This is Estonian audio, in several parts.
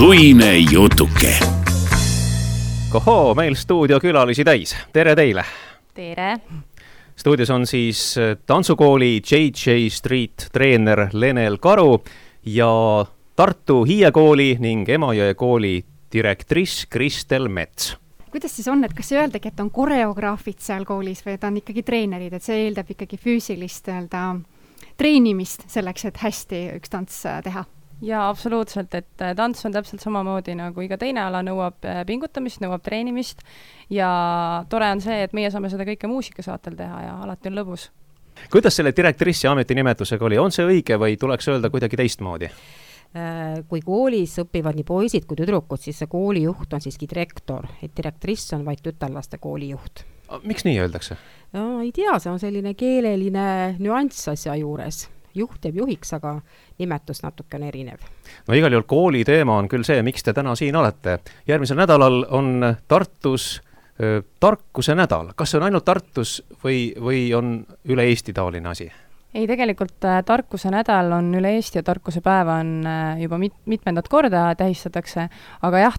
suine jutuke. Kohoo, meil stuudiokülalisi täis. Tere teile! Tere! Stuudios on siis tantsukooli JJ Street treener Lenel Karu ja Tartu Hiiekooli ning Emajõe kooli direktriss Kristel Mets. Kuidas siis on, et kas öeldagi, et on koreograafid seal koolis või et on ikkagi treenerid, et see eeldab ikkagi füüsilist treenimist selleks, et hästi üks tants teha? Jaa, absoluutselt, et tants on täpselt samamoodi nagu iga teine ala, nõuab pingutamist, nõuab treenimist ja tore on see, et meie saame seda kõike muusikasaatel teha ja alati on lõbus. Kuidas selle direktrissi ametinimetusega oli? On see õige või tuleks öelda kuidagi teistmoodi? Kui koolis õpivad nii poisid kui tüdrukud, siis see koolijuht on siiski direktor, et direktriss on vaid tütarlaste koolijuht. Miks nii öeldakse? No, ei tea, see on selline keeleline nüanss asja juures. Juht jääb juhiks, aga nimetus natuke on erinev. No igal juhul kooli teema on küll see, miks te täna siin olete. Järgmisel nädalal on Tartus tarkuse nädal. Kas see on ainult Tartus või on üle Eesti taoline asi? Ei, tegelikult tarkuse nädal on üle Eesti ja tarkuse päeva on juba mitmendat korda tähistatakse, aga jah,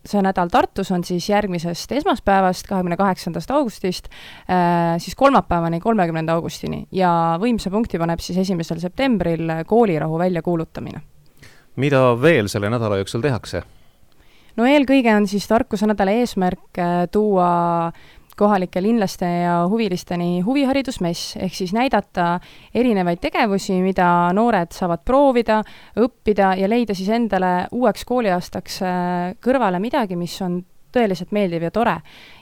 see nädal Tartus on siis järgmisest esmaspäevast, 28. augustist, siis kolmapäevani 30. augustini ja võimsa punkti paneb siis 1. septembril koolirahu välja kuulutamine. Mida veel selle nädala jooksul tehakse? No eelkõige on siis tarkuse nädala eesmärk tuua kohalike linlaste ja huvilisteni huviharidusmess, ehk siis näidata erinevaid tegevusi, mida noored saavad proovida, õppida ja leida siis endale uueks kooliaastaks kõrvale midagi, mis on tõeliselt meeldiv ja tore.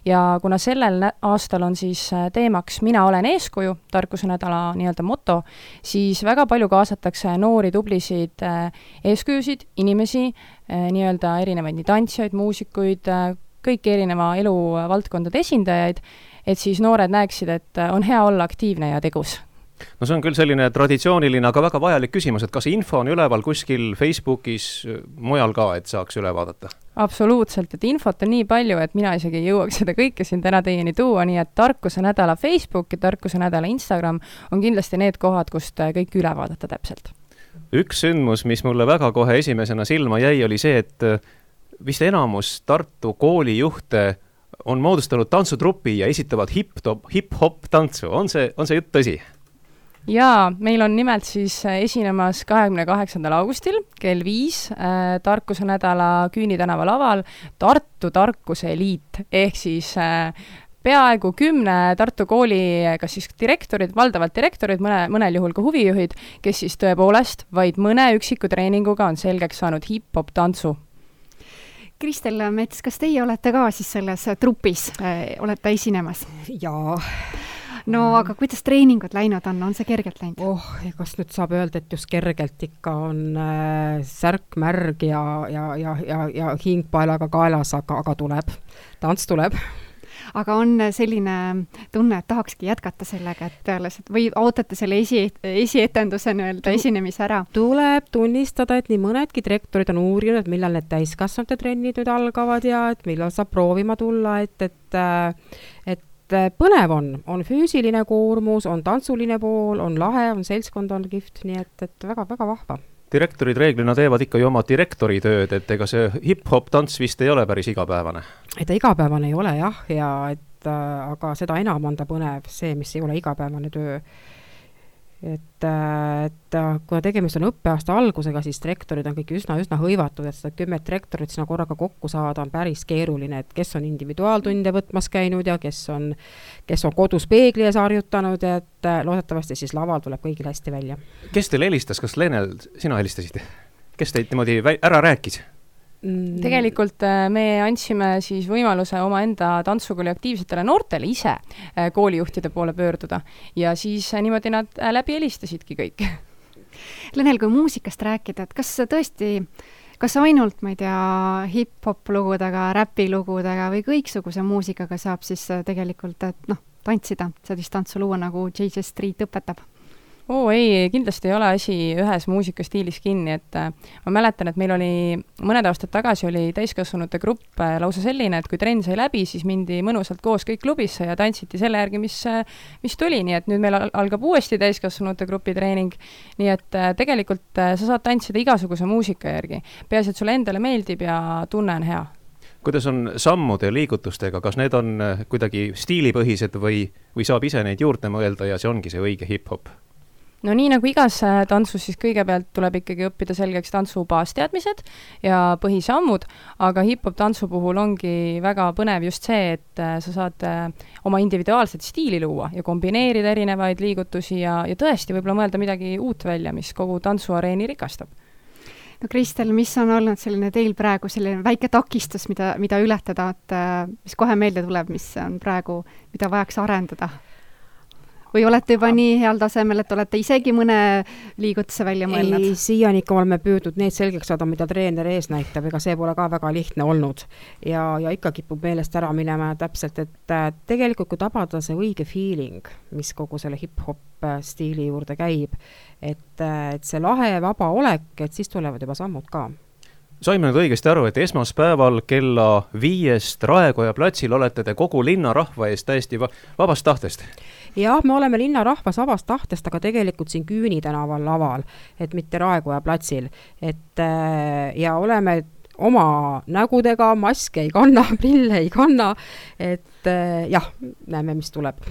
Ja kuna sellel aastal on siis teemaks Mina olen eeskuju, tarkuse nädala nii-öelda moto, siis väga palju kaasatakse noori tublisid eeskujusid, inimesi, nii-öelda erinevaid nii tantsijaid, muusikuid, kõik erineva eluvaldkondade esindajaid, et siis noored näeksid, et on hea olla aktiivne ja tegus. No see on küll selline traditsiooniline, aga väga vajalik küsimus, et kas info on üleval kuskil Facebookis mujal ka, et saaks üle vaadata? Absoluutselt, et infot on nii palju, et mina isegi ei jõuaks seda kõike siin täna teieni tuua, nii et tarkuse nädala Facebook ja tarkuse nädala Instagram on kindlasti need kohad, kust kõik üle vaadata täpselt. Üks sündmus, mis mulle väga kohe esimesena silma jäi, oli see, et vist enamus Tartu koolijuhte on moodustanud tantsutrupi ja esitavad hip-hop tantsu. On see jutt tõsi? Jaa, meil on nimelt siis esinemas 28. augustil kell 5 tarkuse nädala Küüni tänava laval Tartu Tarkuse Eliit, ehk siis peaaegu 10 Tartu kooli kas siis direktorid, valdavalt direktorid, mõnel juhul ka huvijuhid, kes siis tõepoolest vaid mõne üksiku treeninguga on selgeks saanud hip-hop tantsu. Kristel Mets, kas teie olete ka siis selles trupis, olete esinemas? Jaa. No aga kuidas treeningud läinud on see kergelt läinud? Kas nüüd saab öelda, et just kergelt ikka on särk märg ja hingpaelaga kaelas, aga tuleb. Tants tuleb. Aga on selline tunne, et tahakski jätkata sellega, et peale või ootate selle esietenduse esinemise ära? Tuleb tunnistada, et nii mõnedki direktorid on uurinud, et millal need täiskasvanute trennid nüüd algavad ja et millal saab proovima tulla, et põnev on füüsiline koormus, on tantsuline pool, on lahe, on seltskond, on kihvt, nii et väga-väga vahva. Direktorid reeglina teevad ikka ju oma direktori tööd, et ega see hip-hop tants vist ei ole päris igapäevane. Et igapäevane ei ole jah, aga seda enam on ta põnev see, mis ei ole igapäevane töö. Et kuna tegemist on õppeaasta algusega, siis direktorid on kõik üsna hõivatud, et seda 10 direktorit sinna korraga kokku saada on päris keeruline, et kes on individuaaltunde võtmas käinud ja kes on kodus peegli ees harjutanud, et loodetavasti siis laval tuleb kõigil hästi välja. Kes teil helistas? Kas Lenel, sina helistasid? Kes teid niimoodi ära rääkis? Tegelikult me andsime siis võimaluse omaenda tantsukooli aktiivsetele noortele ise koolijuhtide poole pöörduda ja siis niimoodi nad läbi helistasidki kõik. Lenel, kui muusikast rääkida, et kas ainult, ma ei tea, hip-hop lugudega, räpilugudega või kõiksuguse muusikaga saab siis tegelikult tantsida, sellist tantsu luua, nagu JJ Street õpetab? Ei, kindlasti ei ole asi ühes muusikastiilis kinni, et ma mäletan, et meil oli mõned aastad tagasi oli täiskasvanute grupp lausa selline, et kui trenn sai läbi, siis mindi mõnusalt koos kõik klubisse ja tantsiti selle järgi, mis tuli, nii et nüüd meil algab uuesti täiskasvanute grupi treening, nii et tegelikult sa saad tantsida igasuguse muusika järgi. Peaasi, et sulle endale meeldib ja tunne on hea. Kuidas on sammude ja liigutustega, kas need on kuidagi stiilipõhised või saab ise neid juurde mõelda ja see ongi see õige hip-hop? No nii nagu igas tantsus, siis kõigepealt tuleb ikkagi õppida selgeks tantsu baasteadmised ja põhisammud, aga hip-hop tantsu puhul ongi väga põnev just see, et sa saad oma individuaalset stiili luua ja kombineerida erinevaid liigutusi ja tõesti võib-olla mõelda midagi uut välja, mis kogu tantsuareeni rikastab. No Kristel, mis on olnud selline teil praegu selline väike takistus, mida ületada, et mis kohe meelde tuleb, mis on praegu, mida vajaks arendada? Või olete juba nii heal tasemel, et olete isegi mõne liigutuse välja mõelnud? Ei, siiani ikka oleme püüdnud need selgeks saada, mida treener ees näitab, ega see pole ka väga lihtne olnud. Ja ikka kipub meelest ära minema täpselt, et tegelikult kui tabada see õige feeling, mis kogu selle hip-hop stiili juurde käib, et see lahe vaba olek, et siis tulevad juba sammud ka. Saime nüüd õigesti aru, et esmaspäeval kella 5 Raekoja platsil olete te kogu linna rahva ees täiesti vabast tahtest? Jah, me oleme linna rahvas vabast tahtest, aga tegelikult siin Küüni tänaval laval, et mitte Raekoja platsil. Ja oleme oma nägudega, maske ei kanna, prille ei kanna, et jah, näeme, mis tuleb.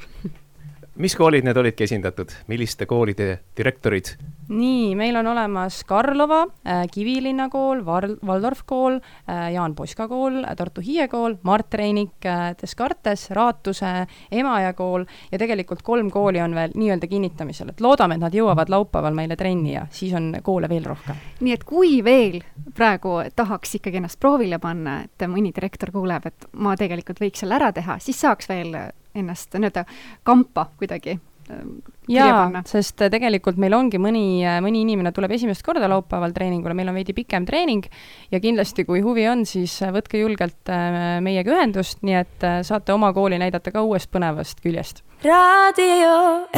Mis koolid need olidki esindatud? Milliste koolide direktorid? Nii, meil on olemas Karlova, Kivilinna kool, Valdorf kool, Jaan Poska kool, Tartu Hiie kool, Mart Reinik, Descartes, Raatuse, Emajõe kool ja tegelikult 3 kooli on veel nii-öelda kinnitamisel, et loodame, et nad jõuavad laupäeval meile trenni ja siis on koole veel rohkem. Nii et kui veel praegu tahaks ikkagi ennast proovile panna, et mõni direktor kuuleb, et ma tegelikult võiks selle ära teha, siis saaks veel ennast nii-öelda kampa kuidagi jaa, sest tegelikult meil ongi mõni inimene tuleb esimest korda laupäeval treeningule, meil on veidi pikem treening ja kindlasti kui huvi on, siis võtke julgelt meiega ühendust, nii et saate oma kooli näidata ka uuest põnevast küljest. Radio